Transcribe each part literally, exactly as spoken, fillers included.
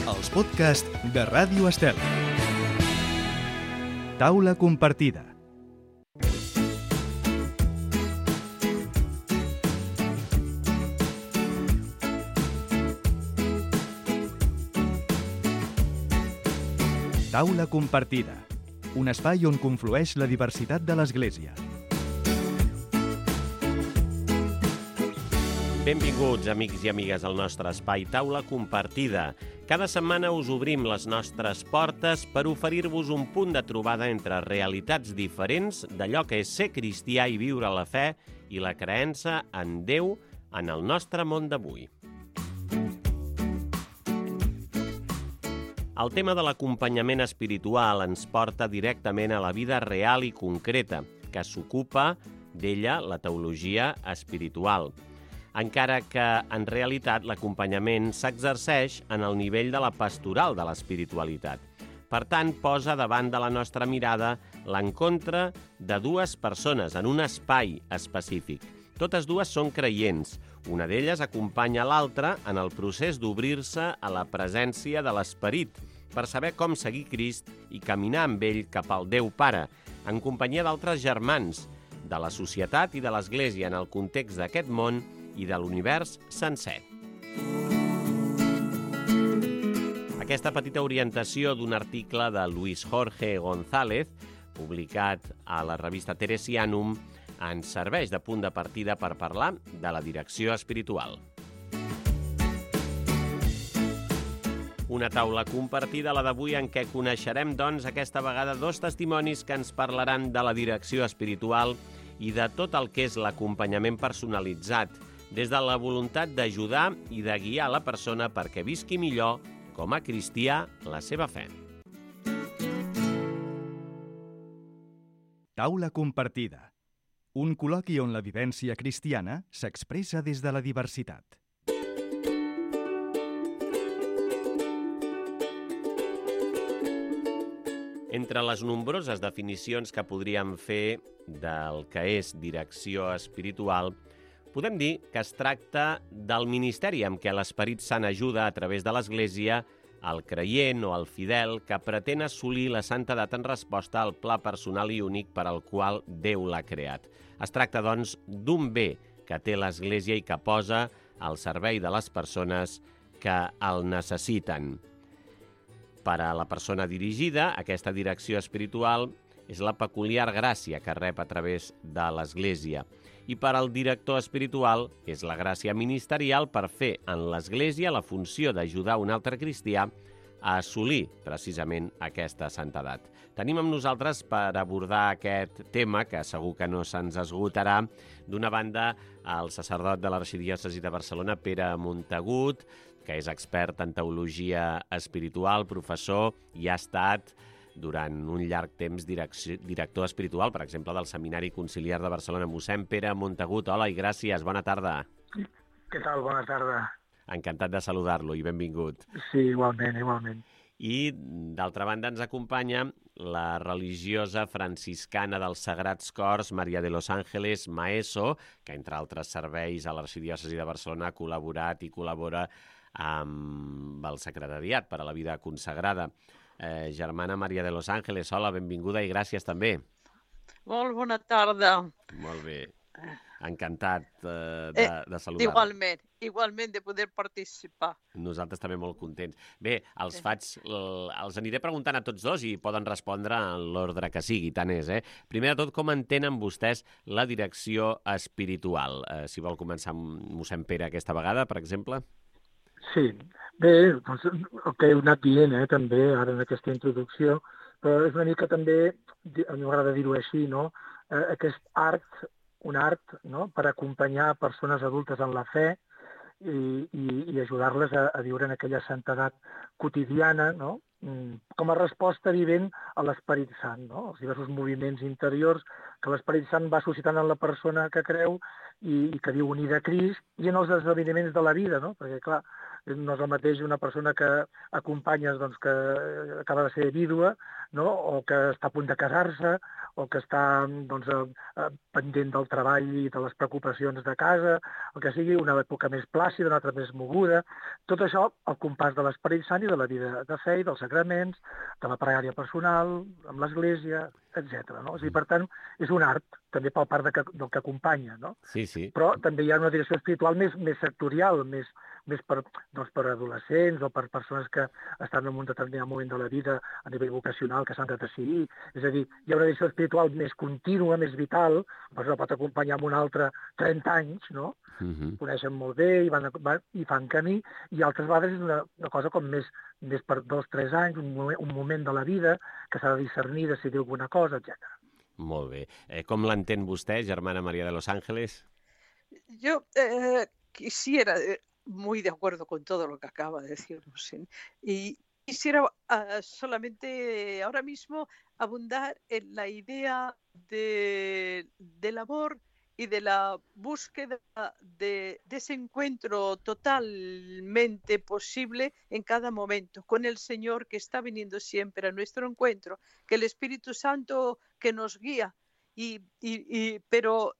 els podcasts de Ràdio Estel. Taula compartida. Taula compartida, un espai on conflueix la diversitat de l'Església. Benvinguts, amics i amigues, al nostre espai Taula compartida. Cada setmana us obrim les nostres portes per oferir-vos un punt de trobada entre realitats diferents d'allò que és ser cristià i viure la fe i la creença en Déu en el nostre món d'avui. El tema de l'acompanyament espiritual ens porta directament a la vida real i concreta, que s'ocupa d'ella la teologia espiritual. Encara que, en realitat, l'acompanyament s'exerceix en el nivell de la pastoral de l'espiritualitat. Per tant, posa davant de la nostra mirada l'encontre de dues persones en un espai específic. Totes dues són creients. Una d'elles acompanya l'altra en el procés d'obrir-se a la presència de l'Esperit per saber com seguir Crist i caminar amb ell cap al Déu Pare, en companyia d'altres germans, de la societat i de l'Església en el context d'aquest món i de l'univers sencer. Aquesta petita orientació d'un article de Luis Jorge González, publicat a la revista Teresianum, ens serveix de punt de partida per parlar de la direcció espiritual. Una taula compartida, la d'avui, en què coneixerem, doncs, aquesta vegada dos testimonis que ens parlaran de la direcció espiritual i de tot el que és l'acompanyament personalitzat, des de la voluntat d'ajudar i de guiar la persona perquè visqui millor, com a cristià, la seva fe. Taula compartida. Un col·loqui on la vivència cristiana s'expressa des de la diversitat. Entre les nombroses definicions que podríem fer del que és direcció espiritual, podem dir que es tracta del ministeri amb què l'Esperit Sant ajuda a través de l'Església al creient o al fidel que pretén assolir la santedat en resposta al pla personal i únic per al qual Déu l'ha creat. Es tracta, doncs, d'un bé que té l'Església i que posa al servei de les persones que el necessiten. Per a la persona dirigida, aquesta direcció espiritual és la peculiar gràcia que rep a través de l'Església. I per al director espiritual és la gràcia ministerial per fer en l'Església la funció d'ajudar un altre cristià a assolir precisament aquesta santedat. Tenim amb nosaltres per abordar aquest tema, que segur que no se'ns esgotarà, d'una banda el sacerdot de l'Arxidiòcesi de Barcelona, Pere Montagut, que és expert en teologia espiritual, professor, i ha estat durant un llarg temps director espiritual, per exemple, del Seminari Conciliar de Barcelona. Mossèn Pere Montagut, hola i gràcies, bona tarda. Què tal? Bona tarda. Encantat de saludar-lo i benvingut. Sí, igualment, igualment. I, d'altra banda, ens acompanya la religiosa franciscana dels Sagrats Cors, Maria de los Ángeles Maeso, que, entre altres serveis a l'Arxidiòcesi de Barcelona, ha col·laborat i col·labora amb el secretariat per a la vida consagrada. Eh, germana Maria de los Ángeles, hola, benvinguda i gràcies també. Molt bona tarda. Molt bé. Encantat eh, de, de saludar. Igualment, igualment de poder participar. Nosaltres també molt contents. Bé, els faig, els aniré preguntant a tots dos i poden respondre en l'ordre que sigui, tant és, eh? Primer de tot, com entenen vostès la direcció espiritual? Eh, si vol començar amb mossèn Pere aquesta vegada, per exemple. Sí, bé, doncs, el que heu anat dient, eh, també, ara en aquesta introducció, però és una mica també, a mi m'agrada dir-ho així, no? Eh, aquest art, un art, no?, per acompanyar persones adultes en la fe i, i, i ajudar-les a, a viure en aquella santedat quotidiana, no?, com a resposta vivent a l'Esperit Sant, no?, els diversos moviments interiors que l'Esperit Sant va suscitant en la persona que creu i, i que viu unida a Crist i en els esdeveniments de la vida, no?, perquè, clar, no és el mateix una persona que acompanyes, doncs, que acaba de ser vídua, no?, o que està a punt de casar-se, o que està doncs, eh, pendent del treball i de les preocupacions de casa, o que sigui una època més plàcida, una altra més moguda. Tot això al compàs de l'Esperit Sant i de la vida de fe i dels sacraments, de la pregària personal, amb l'Església, etcètera. No? O sigui, per tant, és un art, també pel part de que, del que acompanya, no? Sí, sí. Però també hi ha una direcció espiritual més, més sectorial, més, més per, doncs, per adolescents o per persones que estan en un determinat moment de la vida a nivell vocacional que s'han de decidir. És a dir, hi ha una direcció espiritual més contínua, més vital, però no pot acompanyar amb un altre trenta anys, no? Uh-huh. Coneixen molt bé i, van, van, i fan camí, i altres vegades és una, una cosa com més, més per dos o tres anys, un moment, un moment de la vida que s'ha de discernir, decidir alguna cosa, etcètera. Molt bé. Eh, com l'entén vostè, germana María de los Ángeles? Yo eh, quisiera, eh, muy de acuerdo con todo lo que acaba de decir José, y quisiera uh, solamente ahora mismo abundar en la idea de, del amor y de la búsqueda de, de ese encuentro totalmente posible en cada momento con el Señor que está viniendo siempre a nuestro encuentro, que el Espíritu Santo que nos guía, y, y, y, pero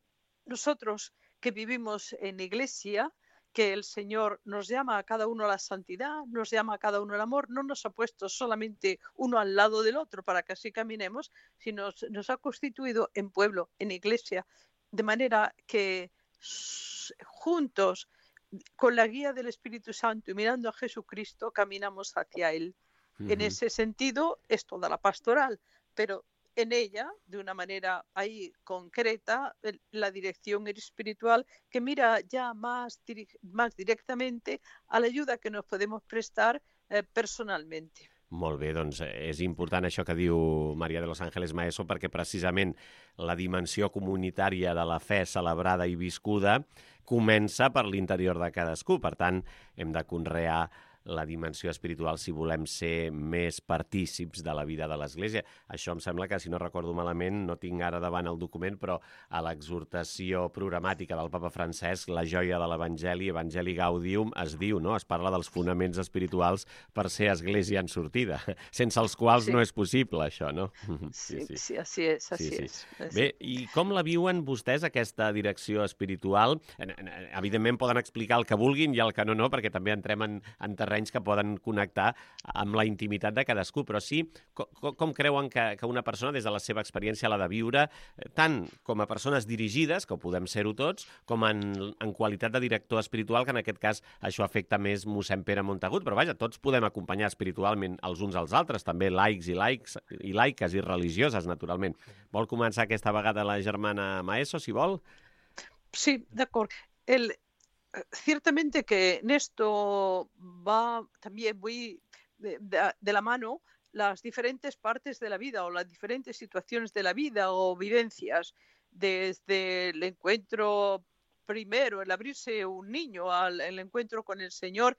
nosotros que vivimos en iglesia, que el Señor nos llama a cada uno a la santidad, nos llama a cada uno al amor, no nos ha puesto solamente uno al lado del otro para que así caminemos, sino nos ha constituido en pueblo, en iglesia, de manera que juntos, con la guía del Espíritu Santo y mirando a Jesucristo, caminamos hacia Él. Uh-huh. En ese sentido es toda la pastoral, pero en ella, de una manera ahí concreta, la dirección espiritual que mira ya más, más directamente a la ayuda que nos podemos prestar eh, personalmente. Molt bé, doncs és important això que diu María de los Ángeles Maeso, perquè precisament la dimensió comunitària de la fe celebrada i viscuda comença per l'interior de cadascú. Per tant, hem de conrear la dimensió espiritual si volem ser més partícips de la vida de l'Església. Això em sembla que, si no recordo malament, no tinc ara davant el document, però a l'exhortació programàtica del papa Francesc, la joia de l'Evangeli, Evangelii Gaudium, es diu, no? Es parla dels fonaments espirituals per ser Església en sortida, sense els quals sí. no és possible això, no? Sí, sí, sí, així és, així sí, sí. és. Bé, i com la viuen vostès, aquesta direcció espiritual? Evidentment poden explicar el que vulguin i el que no, no, perquè també entrem en, en terrenys que poden connectar amb la intimitat de cadascú, però sí, com, com creuen que, que una persona, des de la seva experiència, l'ha de viure, tant com a persones dirigides, que ho podem ser-ho tots, com en, en qualitat de director espiritual, que en aquest cas això afecta més mossèn Pere Montagut, però vaja, tots podem acompanyar espiritualment els uns als altres, també laics i laics i laiques i religioses, naturalment. Vol començar aquesta vegada la germana Maeso, si vol? Sí, d'acord. El... Ciertamente que en esto va también muy de, de, de la mano las diferentes partes de la vida o las diferentes situaciones de la vida o vivencias, desde el encuentro primero, el abrirse un niño al el encuentro con el Señor,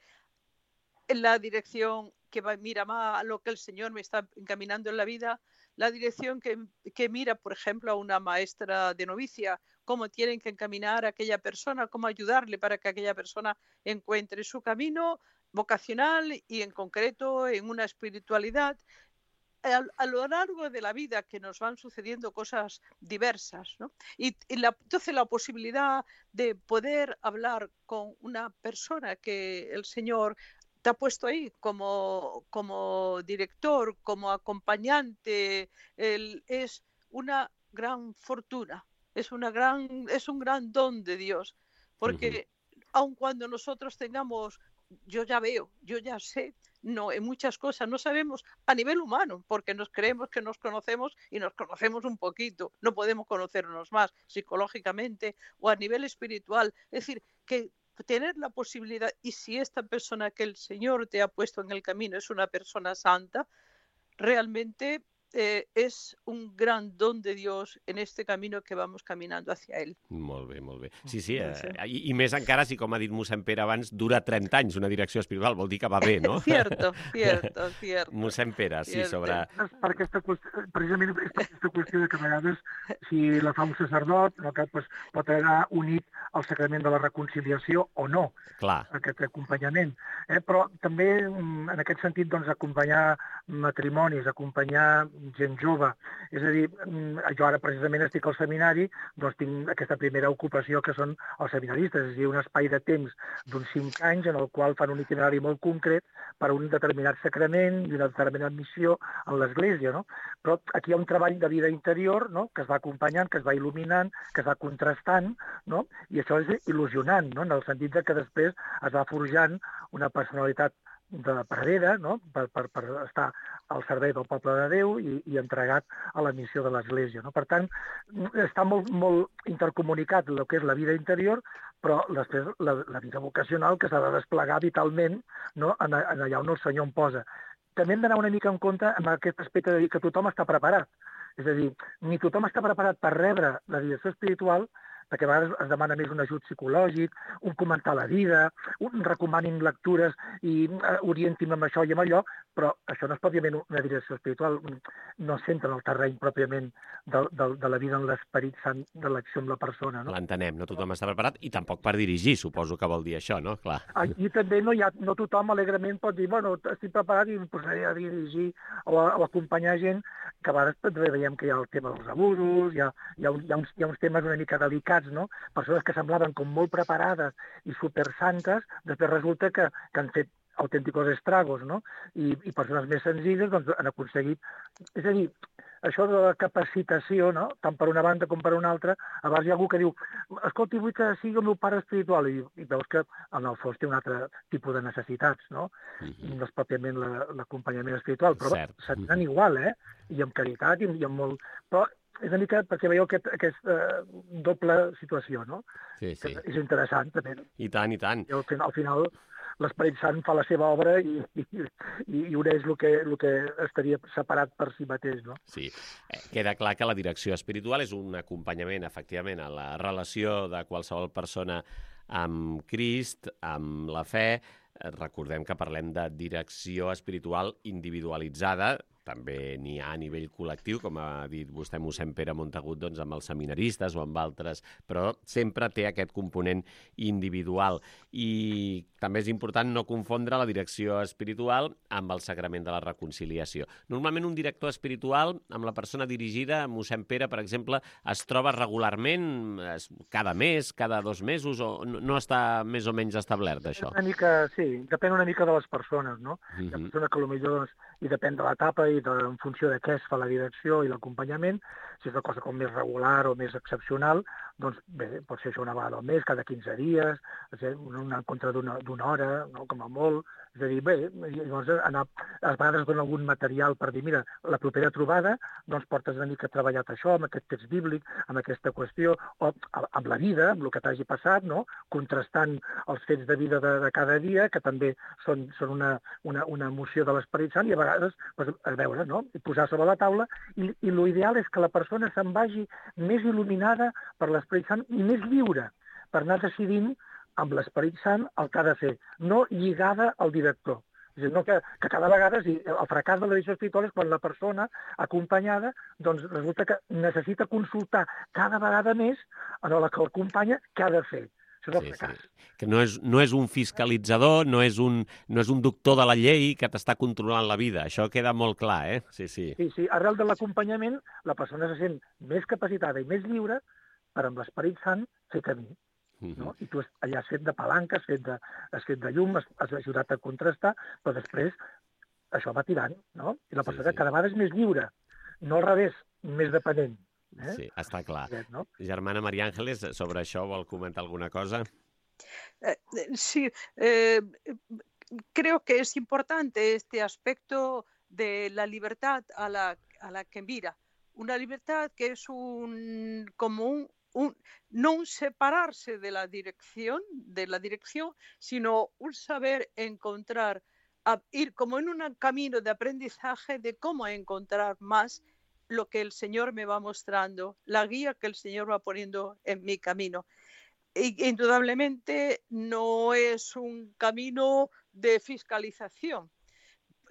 en la dirección que va, mira más a lo que el Señor me está encaminando en la vida, la dirección que, que mira, por ejemplo, a una maestra de novicia, cómo tienen que encaminar a aquella persona, cómo ayudarle para que aquella persona encuentre su camino vocacional y en concreto en una espiritualidad. A, a lo largo de la vida que nos van sucediendo cosas diversas, ¿no? Y, y la, entonces la posibilidad de poder hablar con una persona que el Señor te ha puesto ahí como, como director, como acompañante, el, es una gran fortuna. Es, una gran, es un gran don de Dios, porque uh-huh. aun cuando nosotros tengamos, yo ya veo, yo ya sé, no, en muchas cosas no sabemos a nivel humano, porque nos creemos que nos conocemos y nos conocemos un poquito, no podemos conocernos más psicológicamente o a nivel espiritual. Es decir, que tener la posibilidad, y si esta persona que el Señor te ha puesto en el camino es una persona santa, realmente Eh, és un gran don de Dios en este camino que vamos caminando hacia Él. Molt bé, molt bé. Sí, sí, eh, i, i més encara si, com ha dit mossèn Pere abans, dura trenta anys una direcció espiritual, vol dir que va bé, no? Cierto, cierto, cierto. Mossèn Pere, sí, cierto. sobre... Per aquesta qüestió, precisament és per aquesta qüestió de que a vegades, si la fa un sacerdot, no, que pues, pot anar unit al sacrament de la reconciliació o no, Clar. aquest acompanyament. Eh? Però també, en aquest sentit, doncs, acompanyar matrimonis, acompanyar gent jove. És a dir, jo ara precisament estic al seminari, doncs tinc aquesta primera ocupació que són els seminaristes, és a dir, un espai de temps d'uns cinc anys en el qual fan un itinerari molt concret per a un determinat sacrament i una determinada missió en l'Església, no? Però aquí hi ha un treball de vida interior, no?, que es va acompanyant, que es va il·luminant, que es va contrastant, no?, i això és il·lusionant, no?, en el sentit de que després es va forjant una personalitat de darrere, no?, per, per, per estar al servei del poble de Déu i, i entregat a la missió de l'Església, no? Per tant, està molt, molt intercomunicat el que és la vida interior, però després la, la vida vocacional que s'ha de desplegar vitalment, no?, en, en allà on el Senyor em posa. També hem d'anar una mica en compte amb aquest aspecte de dir que tothom està preparat. És a dir, ni tothom està preparat per rebre la direcció espiritual, perquè a vegades es demana més un ajut psicològic, un comentar la vida, un recomanin lectures i orientin amb això i amb allò, però això no és pròpiament una direcció espiritual, no s'entra en el terreny pròpiament de, de, de la vida en l'Esperit Sant de l'acció amb la persona. No? L'entenem, no tothom està preparat i tampoc per dirigir, suposo que vol dir això, no? Clar. I també no, hi ha, no tothom alegrement pot dir, bueno, estic preparat i em posaré a dirigir o a, o a acompanyar gent, que a vegades veiem que hi ha el tema dels abusos, hi ha, hi ha, un, hi ha, uns, hi ha uns temes una mica delicats, no? Persones que semblaven com molt preparades i supersantes, després resulta que, que han fet autènticos estragos, no? I, i persones més senzilles doncs, han aconseguit... És a dir, això de la capacitació, no?, tant per una banda com per una altra, a vegades hi ha algú que diu escolti, vull que sigui el meu pare espiritual, i, i veus que en el fons té un altre tipus de necessitats, no? Mm-hmm. No és pròpiament l'acompanyament espiritual, però s'entenen igual, eh? I amb caritat i, i amb molt... Però és una mica perquè veieu aquest, aquesta doble situació, no? Sí, sí. Que és interessant, també. I tant, i tant. I al final, al final l'Esperit Sant fa la seva obra i, i, i uneix el que, el que estaria separat per si mateix, no? Sí. Eh, queda clar que la direcció espiritual és un acompanyament, efectivament, a la relació de qualsevol persona amb Crist, amb la fe. Recordem que parlem de direcció espiritual individualitzada, també n'hi ha a nivell col·lectiu, com ha dit vostè, mossèn Pere Montagut, doncs amb els seminaristes o amb altres, però sempre té aquest component individual. I també és important no confondre la direcció espiritual amb el sagrament de la reconciliació. Normalment un director espiritual, amb la persona dirigida, mossèn Pere, per exemple, es troba regularment cada mes, cada dos mesos, o no està més o menys establert, això? Una mica, sí, depèn una mica de les persones, no? Mm-hmm. Hi ha persones que potser doncs, i depèn de l'etapa i de, en funció de què es fa la direcció i l'acompanyament, si és una cosa com més regular o més excepcional, doncs bé, pot ser això una vegada al mes, cada quinze dies, un encontre d'una hora, no? Com a molt. És a dir, bé, llavors anar, a vegades dona algun material per dir, mira, la propera trobada, doncs portes una mica treballat això, amb aquest text bíblic, amb aquesta qüestió, o amb la vida, amb el que t'hagi passat, no? Contrastant els fets de vida de, de cada dia, que també són, són una, una, una emoció de l'Esperit Sant, i a vegades, doncs, a veure, no? I posar sobre la taula, i, i l'ideal és que la persona se'n vagi més il·luminada per l'Esperit Sant i més lliure, per anar decidint amb l'Esperit Sant el que ha de fer, no lligada al director. És a dir, no que, que cada vegada, sí, el fracàs de la direcció espiritual és quan la persona acompanyada doncs resulta que necessita consultar cada vegada més a la que l'acompanya què ha de fer. Això és el sí, fracàs. Sí. Que no és, no és un fiscalitzador, no és un, no és un doctor de la llei que t'està controlant la vida. Això queda molt clar, eh? Sí, sí. Sí, sí. Arrel de l'acompanyament, la persona se sent més capacitada i més lliure per amb l'Esperit Sant fer camí. No? I tu allà has fet de palanca, has fet de, has fet de llum, has, has ajudat a contrastar, però després això va tirant, no? I la persona sí, sí. cada vegada és més lliure, no al revés, més dependent. ¿eh? Sí, està clar. ¿no? Germana María Ángeles, sobre això vol comentar alguna cosa? Eh, sí, eh, creo que es importante este aspecto de la libertad a la, a la que mira. Una libertad que es un, como un Un, no un separarse de la dirección, de la dirección, sino un saber encontrar, a, ir como en un camino de aprendizaje de cómo encontrar más lo que el Señor me va mostrando, la guía que el Señor va poniendo en mi camino. Y, indudablemente no es un camino de fiscalización,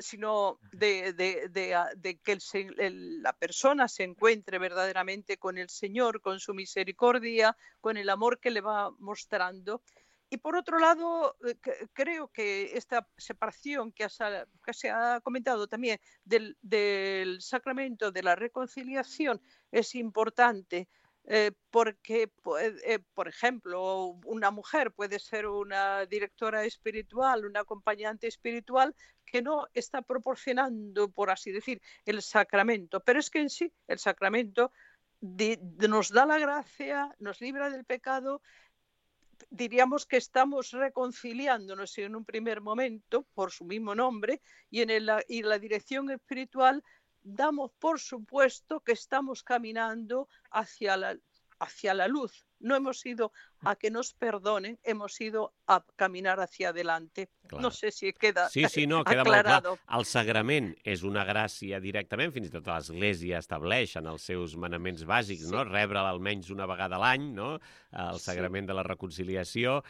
sino de, de, de, de que el, el, la persona se encuentre verdaderamente con el Señor, con su misericordia, con el amor que le va mostrando. y por otro lado, eh, que- creo que esta separación que, has, ah, que se ha comentado también del, del sacramento de la reconciliación es importante. eh, porque, puede- eh, por ejemplo, una mujer puede ser una directora espiritual, una acompañante espiritual que no está proporcionando, por así decir, el sacramento, pero es que en sí el sacramento di- de- nos da la gracia, nos libra del pecado. Diríamos que estamos reconciliándonos en un primer momento por su mismo nombre, y en el- y la dirección espiritual damos por supuesto que estamos caminando hacia la, hacia la luz. No hemos ido a que nos perdonen, hemos ido a caminar hacia adelante. No Clar. sé si queda Sí, sí, no, queda molt clar. aclarado. El sagrament és una gràcia directament, fins i tot l'Església estableix en els seus manaments bàsics, Sí, no? Rebre'l almenys una vegada a l'any, no? El sí, sagrament de la reconciliació,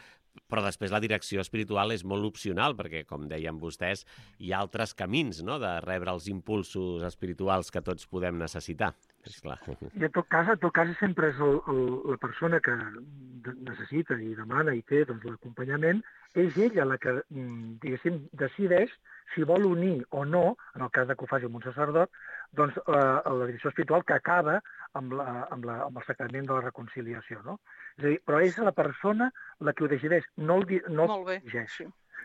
però després la direcció espiritual és molt opcional, perquè, com deien vostès, hi ha altres camins, no?, de rebre els impulsos espirituals que tots podem necessitar. És clar. I en tot cas, en tot cas sempre és el, el, la persona que de- necessita i demana i té doncs, l'acompanyament, és ella la que, mm, diguéssim, decideix si vol unir o no, en el cas de que ho faci amb un sacerdot, doncs la, la direcció espiritual que acaba amb, la, amb, la, amb el sacrament de la reconciliació, no? És a dir, però és la persona la que ho decideix, no el, di- no el molt bé. dirigeix. Sí,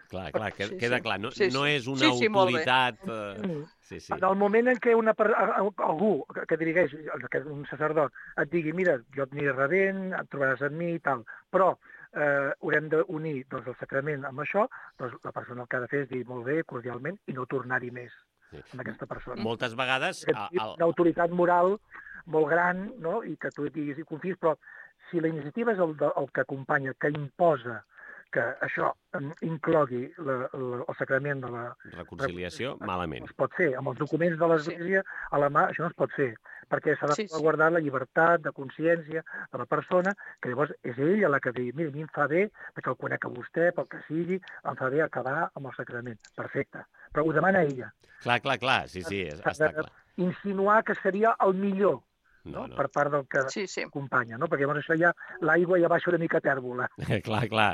Clar, clar, que- sí, queda sí. clar. No, Sí, no sí. és una Sí, sí, molt bé. autoritat... Eh... Mm. Sí, sí. En el moment en què una, per- a- a- algú que, que dirigeix, que és un sacerdot, et digui, mira, jo et aniré rebent, et trobaràs amb mi i tal, però eh, haurem d'unir doncs, el sacrament amb això, doncs la persona el que ha de fer és dir molt bé, cordialment, i no tornar-hi més Sí. amb aquesta persona. Moltes vegades... Que a- tingui al- una autoritat moral molt gran, no?, i que tu diguis i confiïs, però si la iniciativa és el, de, el que acompanya, que imposa que això em, inclogui la, la, el sacrament de la reconciliació, malament. no es pot fer. Amb els documents de l'Església a la mà això no es pot fer, perquè s'ha de Sí, sí. guardar la llibertat de consciència de la persona, que llavors és ella la que diu, mira, a mi em fa bé, perquè el conec a vostè, pel que sigui, em fa bé acabar amb el sacrament. Perfecte. Però ho demana ella. Clar, clar, clar, sí, sí, S'ha està de clar. insinuar que seria el millor, no? No, no. Per part del que Sí, sí. acompanya, no? Perquè llavors això ja, l'aigua ja baixa una mica tèrbola. Clar, clar.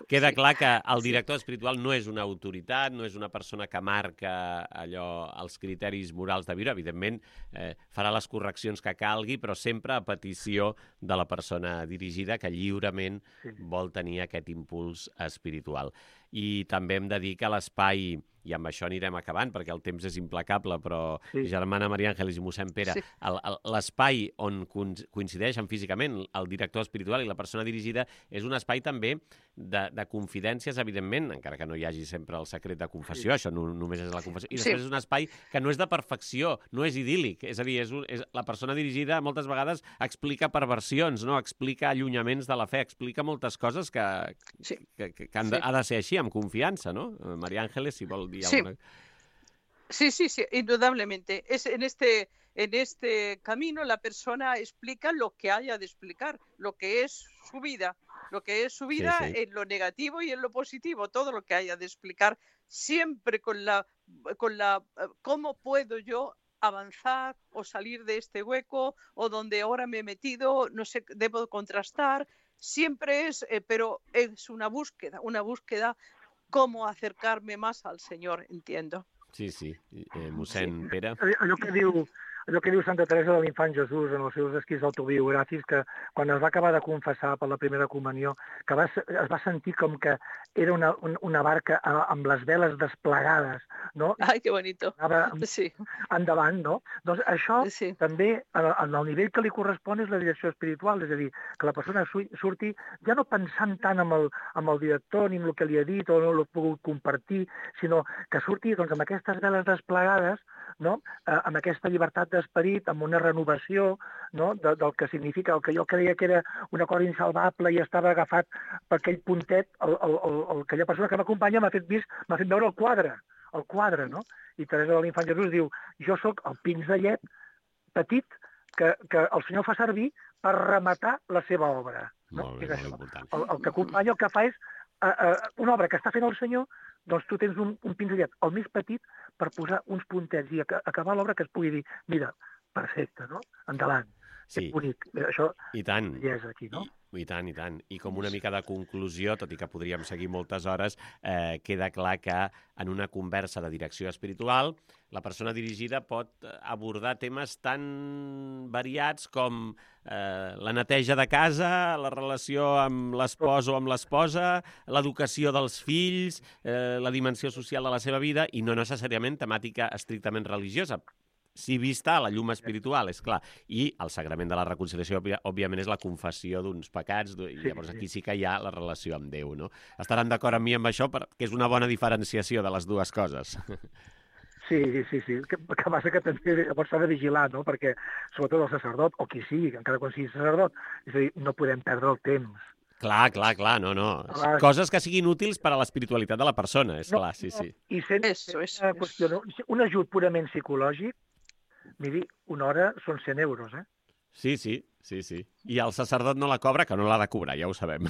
Queda Sí. clar que el director espiritual no és una autoritat, no és una persona que marca allò, els criteris morals de viure. Evidentment, eh, farà les correccions que calgui, però sempre a petició de la persona dirigida que lliurement Sí. vol tenir aquest impuls espiritual. I també hem de dir que l'espai, i amb això anirem acabant, perquè el temps és implacable, però Sí. germana Maria Àngeles i mossèn Pere, Sí. el- el- l'espai on coin- coincideixen físicament el director espiritual i la persona dirigida és un espai també de, de confidències, evidentment, encara que no hi hagi sempre el secret de confessió, Sí. això no, només és la confessió. I Sí. després és un espai que no és de perfecció, no és idíl·lic, és a dir, és un, és, la persona dirigida moltes vegades explica perversions, no? Explica allunyaments de la fe, explica moltes coses que, Sí. que, que, que han de, Sí. ha de ser així, amb confiança, no? Eh, Maria Àngeles, si vol dir Sí. alguna cosa. Sí, sí, sí, indudablemente. Es en este, en este camino la persona explica lo que haya de explicar, lo que es su vida, lo que es su Sí, vida sí. en lo negativo y en lo positivo, todo lo que haya de explicar, siempre con la, con la, eh, ¿cómo puedo yo avanzar o salir de este hueco o donde ahora me he metido? No sé, debo contrastar. Siempre es, eh, pero es una búsqueda, una búsqueda cómo acercarme más al Señor, entiendo. Sí, sí. Eh, mossèn Pere. Allò que diu, allò que diu Santa Teresa de l'Infant Jesús en els seus escrits autobiogràfics, que quan es va acabar de confessar per la primera comunió, que va, se- es va sentir com que era una, un- una barca a- amb les veles desplegades, no? Ay, qué bonito. Anava Sí, endavant, no? Doncs això sí, també, en el, en el nivell que li correspon, és la direcció espiritual, és a dir, que la persona su- surti ja no pensant tant amb el, amb el director ni en el que li ha dit o no l'ha pogut compartir, sinó que surti doncs, amb aquestes veles desplegades, no? eh, amb aquesta llibertat d'esperit, amb una renovació, no? de, del que significa el que jo creia que era una cosa insalvable i estava agafat per aquell puntet, el, el, el, el, aquella persona que m'acompanya m'ha fet, vist, m'ha fet veure el quadre, el quadre, no? I Teresa de l'Infant Jesús diu, jo sóc el pinzellet petit que, que el Senyor fa servir per rematar la seva obra. No? Molt bé, És molt això. important. El, el que acompanya, el que fa és uh, uh, una obra que està fent el Senyor, doncs tu tens un, un pinzellet, el més petit, per posar uns puntets i ac acabar l'obra que es pugui dir, mira, perfecte, no? Endavant. Sí. És bonic. Eh, Això I tant. hi és aquí, no? I tant, i tant. I com una mica de conclusió, tot i que podríem seguir moltes hores, eh, queda clar que en una conversa de direcció espiritual la persona dirigida pot abordar temes tan variats com eh, la neteja de casa, la relació amb l'espòs o amb l'esposa, l'educació dels fills, eh, la dimensió social de la seva vida i no necessàriament temàtica estrictament religiosa. Si vista a la llum espiritual, és clar. I el sagrament de la reconciliació, òbviament, és la confessió d'uns pecats, i llavors aquí sí que hi ha la relació amb Déu, no? Estaran d'acord amb mi amb això, perquè és una bona diferenciació de les dues coses. Sí, sí, sí. Que, que passa que també llavors s'ha de vigilar, no? Perquè, sobretot el sacerdot, o qui sigui, encara quan sigui sacerdot, és a dir, no podem perdre el temps. Clar, clar, clar, no, no. Clar. Coses que siguin útils per a l'espiritualitat de la persona, és no, clar, sí, sí. I sense Eso, eso, una qüestió, no? Un ajut purament psicològic, miri, una hora són cent euros, eh? Sí, sí, sí, sí. I el sacerdot no la cobra, que no l'ha de cobrar, ja ho sabem.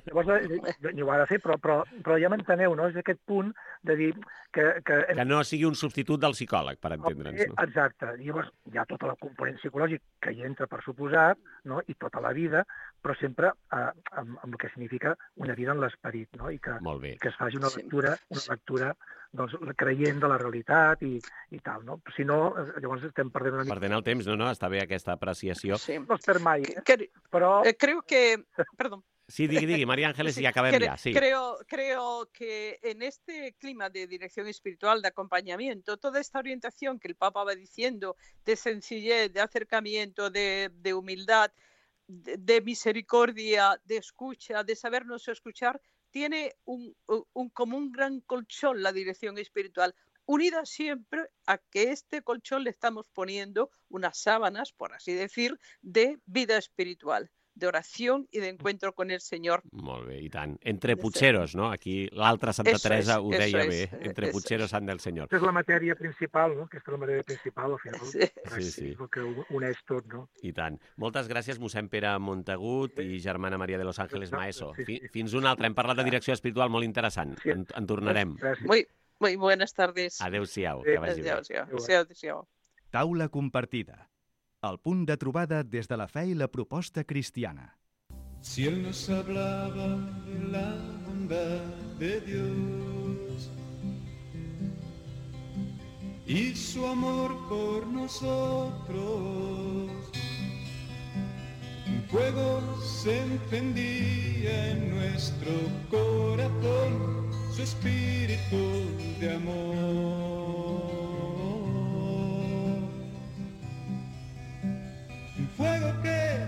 Llavors, ni ho ha de fer, però, però, però ja m'enteneu, no? És aquest punt de dir que... Que, que no sigui un substitut del psicòleg, per entendre'ns, no? Exacte. Llavors, hi ha tota la component psicològic que hi entra per suposat, no? I tota la vida, però sempre eh, amb, amb el que significa una vida en l'esperit, no? I que, Molt bé. i que es faci una lectura, una lectura doncs, creient de la realitat i, i tal, no? Si no, llavors estem perdent una mica... Perdent el temps, no, no, està bé aquesta apreciació. Sí. No es perd mai, eh? Que, Però... eh, creo que... Perdón. Sí, digui, digui, María Ángeles, Sí, y acabem cre ya, sí. Creo, creo que en este clima de dirección espiritual, de acompañamiento, toda esta orientación que el Papa va diciendo, de sencillez, de acercamiento, de, de humildad, de, de misericordia, de escucha, de sabernos escuchar, tiene un, un, como un gran colchón la dirección espiritual, unida siempre a que este colchón le estamos poniendo unas sábanas, por así decir, de vida espiritual, de oración y de encuentro con el Señor. Molt bé, i tant. Entre putxeros, no? Aquí l'altra Santa Eso Teresa es, ho deia eso bé. es, Entre eso putxeros es. sant del Senyor. Aquesta és la matèria principal, no? Aquesta és la matèria principal, al final. Sí. Sí, sí. És el que uneix tot, no? I tant. Moltes gràcies, mossèn Pere Montagut i germana Maria de los Ángeles Maeso. Sí, sí. Fi- Fins una altra. Hem parlat de direcció espiritual molt interessant. Sí. En, en tornarem. Gràcies. Muy, muy buenas tardes. Adéu-siau, que vagi bé. Adiós, adiós, adiós. Taula compartida. El punt de trobada des de la fe i la proposta cristiana. Si Él nos hablaba de la bondad de Dios y su amor por nosotros, un fuego se encendía en nuestro corazón, su espíritu de amor. Un fuego que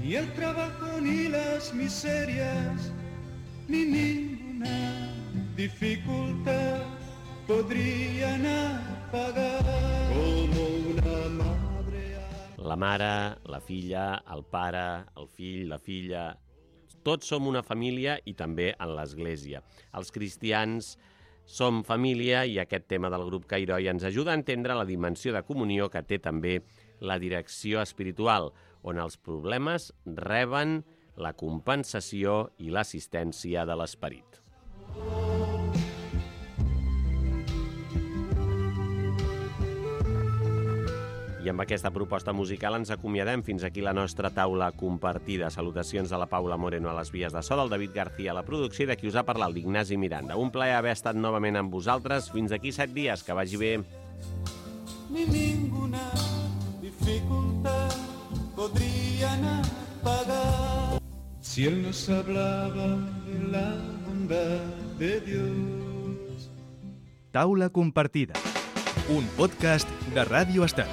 ni el trabajo, ni las miserias, ni ninguna dificultad podrían apagar. Como una madre... La mare, la filla, el pare, el fill, la filla... Tots som una família i també en l'Església. Els cristians som família i aquest tema del grup Cairoi ens ajuda a entendre la dimensió de comunió que té també la direcció espiritual, on els problemes reben la compensació i l'assistència de l'esperit. I amb aquesta proposta musical ens acomiadem. Fins aquí la nostra taula compartida. Salutacions de la Paula Moreno a les vies de so, del David García a la producció i de qui us ha parlat, l'Ignasi Miranda. Un plaer haver estat novament amb vosaltres. Fins aquí set dies. Que vagi bé. Ni ninguna dificultad podrían apagar. Si Él nos hablaba de la bondad de Dios. Taula compartida. Un podcast de Ràdio Estat.